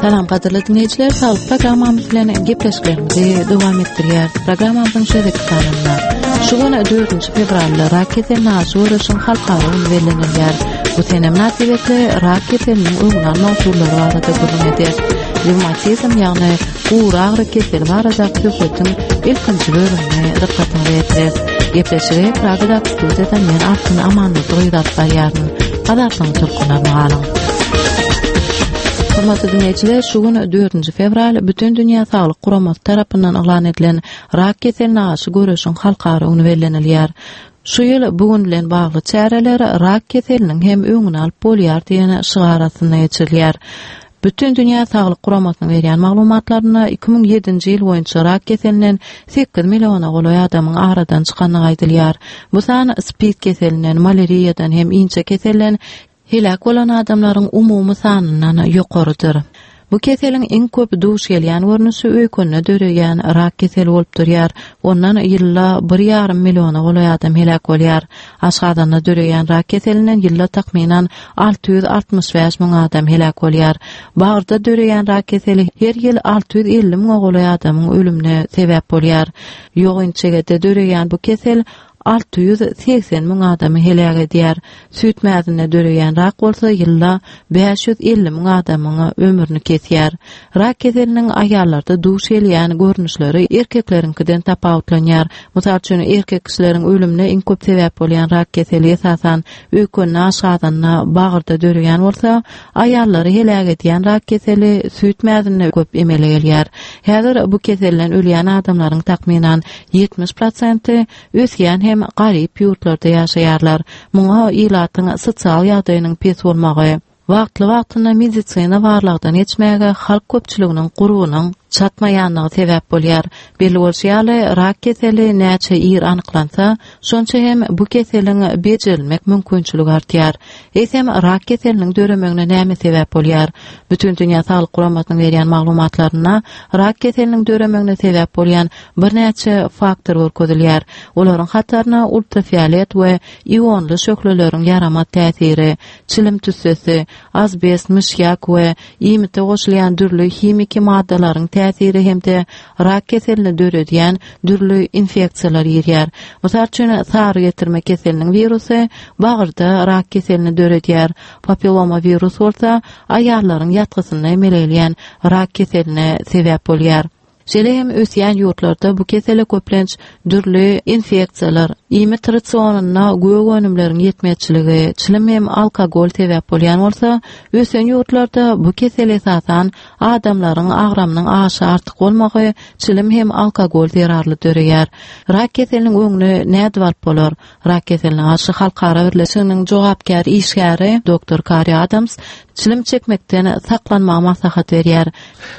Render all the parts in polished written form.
Salam gadyrly diňleýjiler, saglyk programmamyz bilen gepleşiklerimizi dowam etdirýäris. Programmamyzyň şu gezekki sanynda şu gün 4 fewralda rak keseline garşy göreşiň halkara güni bellenilýär. Bu sene mynasybetli rak keseliniň öňüni almak usullary barada gürrüň ederis. Rewmatizm, ýagny gury agyry keseli baradaky söhbetiň ilkinji bölümini dykgatyňyza ýetireris. Gepleşigi Pragadaky studiýadan men Altyn Amanmurdy gyz alyp barýaryn. Azatlygyň tolkunlaryna galyň. Hormatly diňleýjiler, şu gün 4-nji fewral Bütindünýä Saglyk Guramasy tarapyndan yglan edilen rak keseline garşy göreşiň halkara güni bellenilýär. Şu ýyl bu gün bilen bagly çäreler rak keseliniň hem öňüni alyp bolýar diýen şygar astynda geçirilýär. Bütindünýä Saglyk Guramasynyň berýän maglumatlarynda 2007-nji ýyl boýunça rak keselinden 8 milliona golaý adamyň aradan çykandygy aýdylýar. Bu san spid keselinden, malýariýadan hem inçe keselden heläk bolan adamlaryň umumy sanyndan ýokarydyr. Bu keseliň iň köp duş gelýän görnüşi öýkende döreýän rak keseli bolup durýar. Ondan ýylda bir ýarym milliona golaý adam heläk bolýar. Aşgazanda döreýän rak keselinden ýylda takmynan 665 müň adam heläk bolýar. Bagyrda döreýän rak keseli her ýyl 650 müňe golaý adamyň ölümine sebäp bolýar. Ýogyn içegede döreýän bu kesel 680 müň adamy heläk edýär. Süýt mäzinde döreýän rak bolsa ýylda 550 müň adamyň ömrüni kesýär. Rak keseliniň aýallarda duş gelýän görnüşleri erkekleriňkiden tapawutlanýar. Mysal üçin, erkek kişileriň ölümine iň köp sebäp bolýan rak keseli esasan öýkende, aşgazanda, bagyrda döreýän bolsa, aýallary heläk edýän rak keseli süýt mäzinde köp emele gelýär. Häzir bu keselden ölýän adamlaryň takmynan 70 prosenti ösýän hem garyp ýurtlarda ýaşaýarlar. Muňa ilatyň sosial ýagdaýynyň pes bolmagy, wagtly-wagtynda medisina barlagdan geçmäge halk köpçüliginiň gurbunyň çatmaýanlygy sebäp bolýar. Belli bolşy ýaly, rak keseli näçe ir anyklansa, şonça hem bu keseliň bejerilmek mümkinçiligi artýar. Eýsem, rak keseliniň döremegine näme sebäp bolýar? Bütindünýä Saglyk Guramasynyň berýän maglumatlarynda rak keseliniň döremegine sebäp bolýan birnäçe faktor görkezilýär. Olaryň hataryna ultrafiolet we ionly şöhleleriň ýaramaz täsiri, çilim tüssesi, azbest, myşýak we iýmite goşulýan dürli himiki maddalaryň täsiri hem-de rak keselini döredýän dürli infeksiýalar girýär. Mysal üçin, sary getirme keseliniň wirusy bagyrda rak keselini döredýär, papilloma wirus bolsa aýallaryň ýatgysynda emele gelýän rak keseline sebäp bolýar. Şeýle hem ösýän ýurtlarda bu kesele köplenç dürli infeksiýalar, iýmit rasionynda gök önümleriň ýetmezçiligi, çilim hem alkogol sebäp bolýan bolsa, ösen ýurtlarda bu kesel esasan adamlaryň agramynyň aşa artyk bolmagy, çilim hem alkogol zerarly döreýär. Rak keseliniň öňüni nädip alyp bolar? Rak keseline garşy halkara birleşiginiň jogapkär işgäri doktor Kari Adams çilim çekmekden saklanmagy maslahat berýär.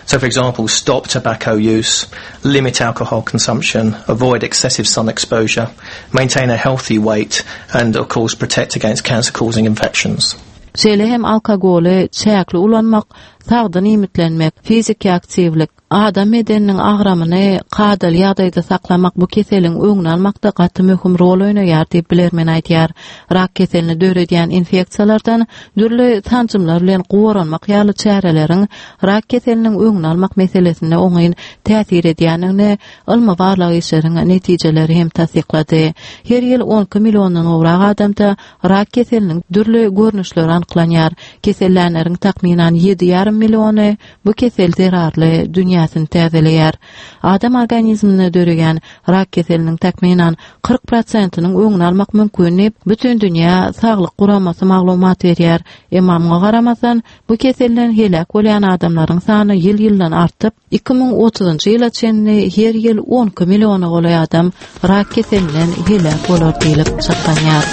So for example, stop tobacco use, limit alcohol consumption, avoid excessive sun exposure, maintain a healthy weight and of course protect against cancer causing infections. Şeýle hem alkogoly çäkli ulanmak, sagdyn iýmitlenmek, fiziki aktiwlik, Adam bedeniniň agramyny kadaly ýagdaýda saklamak bu keseliň öňüni almakda gaty möhüm rol oýnaýar diýip bilermen aýdýar. Rak keselini döredýän infeksiýalardan dürli sanjymlar bilen goranmak ýaly çäreleriň rak keseliniň öňüni almak meselesinde oňyn täsir edýändigini ylmy-barlag işleriň netijeleri hem tassyklady. Her ýyl 12 milliondan gowrak adamda rak keseliniň dürli görnüşleri anyklanýar. Kesellänleriň takmynan ýedi ýarym milliony Bu kesel zerarly dünýäsini täzeleýär. Adam organizminde döreýän rak keseliniň takmynan 40 prosentiniň öňüni almak mümkin diýip, Bütindünýä saglyk guramasy maglumat berýär. Emma muňa garamazdan, bu keselden heläk bolýan adamlaryň sany ýyl-ýyldan artyp, 2030-njy ýyla çenli her ýyl 12 milliona golaý adam rak keselinden heläk bolar diýlip çaklanýar.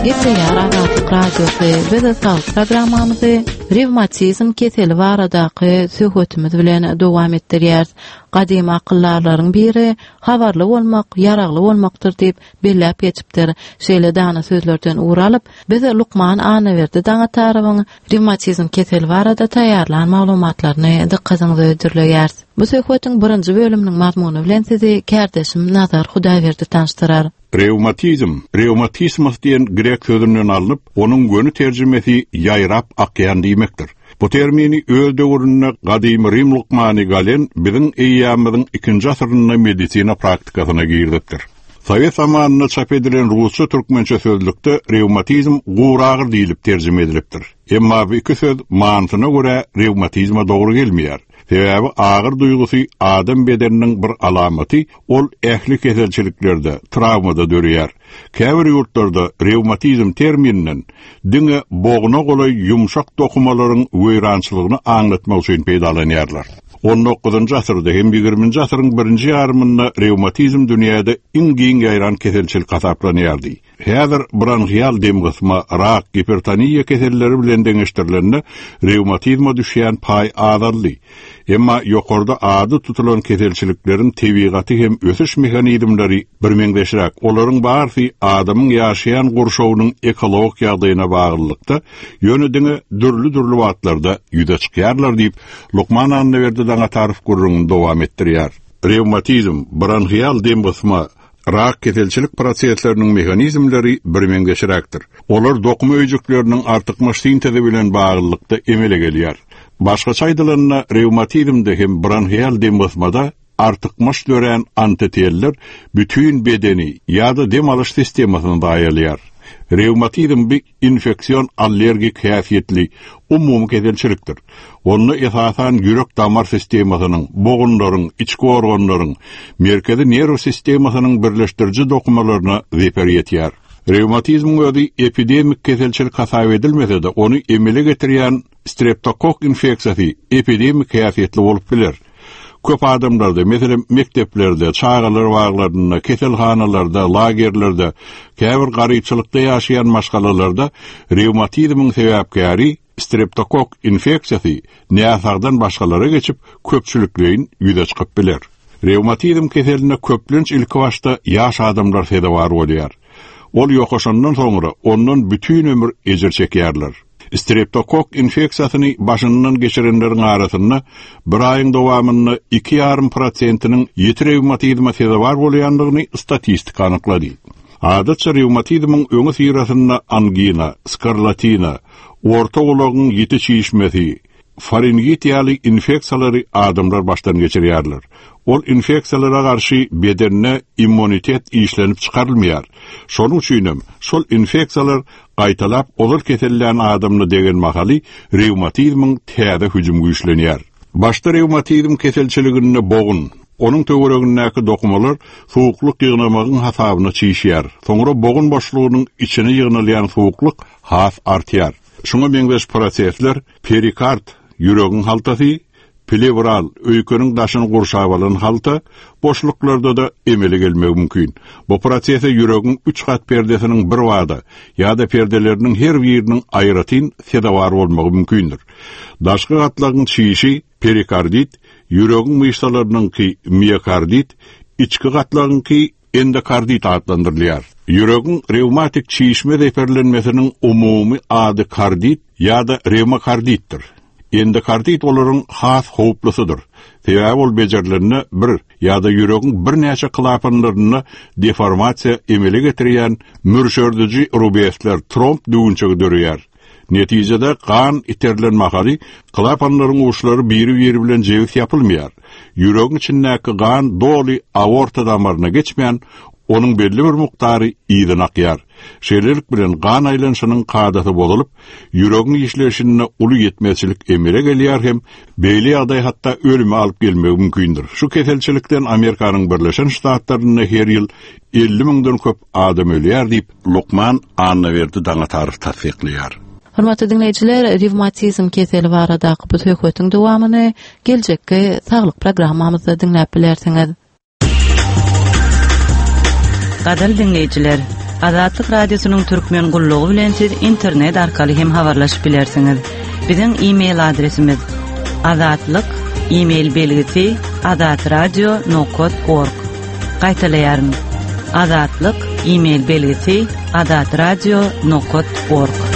Gepleýär Azatlyk Radiosy biz saglyk programmamyzy rewmatizm keseli baradaky söhbetimiz bilen dowam etdirýäris. Gadymy akyldarlaryň biri habarly bolmak ýaragly bolmakdyr diýip belläp geçipdir. Şeýle dana sözlerden ugur alyp, biz lukman Annaberdi Daňatarowyň rewmatizm keseli barada taýýarlan maglumatlaryny dykgatyňyza hödürleýäris. Bu söhbetiň birinji bölüminiň mazmuny bilen sizi kärdeşim Nazar Hudaýberdi tanyşdyrar. Rewmatizm, reumatismos diýen grek sözünden alnyp, onuň göni terjimesi ýaýrap akýan diýmekdir. Bu termini öz döwründe gadymy rim lukmany Galen biziň eýýamymyzyň ikinji asyrynda medisina praktikasyna girizipdir. Sowet zamanynda çap edilen rusça-türkmençe sözlükde rewmatizm guragyr diýlip terjime edilipdir. Emma bu iki söz manysyna görä rewmatizme dogry gelmeýär. Sebäbi agyr duýgusy adam bedeniniň bir alamaty, ol ähli keselçiliklerde, trawmada döreýär. Käbir ýurtlarda rewmatizm termininden diňe bogna golaý ýumşak dokumalaryň weýrançylygyny aňlatmak üçin peýdalanýarlar. On dokuzynjy asyrda hem ýigriminji asyryň birinji ýarymynda rewmatizm dünýäde iň giň ýaýran keselçilik hasaplanýardy. Häzir bronhial demgysma, rak, gipertoniýa keselleri bilen deňeşdirilende rewmatizme düşýän paý azaldy. Emma ýokarda ady tutulan keselçilikleriň tebigaty hem ösüş mehanizmleri birmeňzeşräk, olaryň barysy adamyň ýaşaýan gurşawynyň ekologik ýagdaýyna baglylykda, ýöne diňe dürli-dürli wagtlarda ýüze çykýarlar diýip, lukman Annaberdi Daňatarow gürrüňini dowam etdirýär. Rewmatizm, bronhial demgysma, Rak keselçilik prosesleriniň mehanizmleri birmeňzeşräkdir. Olar dokuma öýjükleriniň artykmaç sintezi bilen baglylykda emele gelýär. Başgaça aýdylanda, rewmatizmde hem bronhial demgysmada artykmaç dörän antiteller bütin bedeni ýa-da dem alyş sistemasyny zaýalaýar. Rewmatizm bi infeksion allergik häsiýetli umumy keselçilikdir. Onda esasan ýürek-damar sistemasynyň, bogunlaryň, içki organlaryň, merkezi nerw sistemasynyň birleşdiriji dokumalaryna zeper ýetýär. Rewmatizmiň özi epidemik keselçilik hasap edilmese-de, ony emele getirýän streptokokk infeksiýasy epidemik häsiýetli bolup biler. Köp adamlarda, meselem, mekdeplerde, çagalar baglarynda, keselhanalarda, lagerlerde, käbir garypçylykda ýaşaýan maşgalalarda rewmatizmiň sebäpkäri streptokokk infeksiýasy näsagdan başgalara geçip, köpçülikleýin ýüze çykyp biler. Rewmatizm keseline köplenç ilkibaşda ýaş adamlar sezewar bolýar. Ol ýokaşandan soňra ondan bütin ömür ejir çekýärler. Streptokokk infeksiýasyny başyndan geçirenleriň arasynda bir aýyň dowamynda iki ýarym prosentiniň ýiti rewmatizme sezewar bolýandygyny statistika anyklady. Adatça rewmatizmiň öňüsyrasynda angina, skarlatina, orta gulagyň ýiti çişmesi, Faringit ýaly infeksiýalary adamlar başdan geçirýärler. Ol infeksiýalara garşy bedende immunitet işlenip çykarylmaýar. Şonuň üçinem şol infeksiýalar gaýtalap ozal kesellän adamyna degen mahaly rewmatizmiň täze hüjümi güýçlenýär. Başda rewmatizm keselçiliginde bogun, onuň töweregindäki dokumalar suwuklyk ýygnamagyň hasabyna çişýär. Soňra bogun boşlugynyň içine ýygnalýan suwuklyk has artýar. Şuňa meňzeş prosesler perikard, ýüregiň haltasy, plewral, öýkeniň daşyny gurşap alan halta, boşluklarda-da emele gelmegi mümkin. Bu prosese ýüregiň üç gat perdesiniň birbada ýa-da perdeleriniň her biriniň aýratyn sezewar bolmagy mümkindir. Daşky gatlagyň çişi perikardit, ýüregiň myşsalarynyňky miokardit, içki gatlagyňky Endokardit atlandyrylýar. Ýüregiň rewmatik çişme zeperlenmesiniň umumy ady kardit ýa-da rewmakarditdir. Endokardit olaryň has howplusydyr. Sebäbi ol bejerilende bir ýa-da ýüregiň birnäçe klapanlarynda deformasiýa emele getirýän mürşerdiji rubesler, tromb düwünçegi döreýär. Netijede, gan iterilen mahaly klapanlaryň uçlary biri-biri bilen jebis ýapylmaýar. Ýüregiň içindäki gan doly aorta damaryna geçmän, onuň belli bir mukdary yzyna akýar. Şeýlelik bilen, gan aýlanyşynyň kadasy bozulyp, ýüregiň işleýşinde uly ýetmezçilik emele gelýär hem beýle ýagdaý hatda ölüme alyp gelmegi mümkindir. Şu keselçilikden Amerikanyň Birleşen Ştatlarynda her ýyl 50 müňden köp adam ölýär diýip, Lukman Annaberdi Daňatarow tassyklaýar. Hormatly diňleýjiler, rewmatizm keseli baradaky bu söhbetiň dowamyny geljekki saglyk programmamyzda diňläp bilersiňiz. Gadyrly diňleýjiler, Azatlyk Radiosynyň Türkmen gullugy bilen siz internet arkaly hem habarlaşyp bilersiňiz. Biziň e-mail adresimiz azatlyk e-mail belgisi azatradio nokat org. Gaýtalaýaryn. Azatlyk e-mail belgisi azatradio nokat org.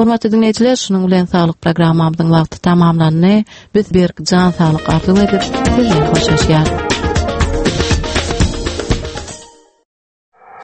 Hormatly diňleýjiler, şunuň bilen saglyk programmamyzyň wagty tamamlandy. Biz berk jan saglyk arzuw edip, sizden hoşlaşýarys.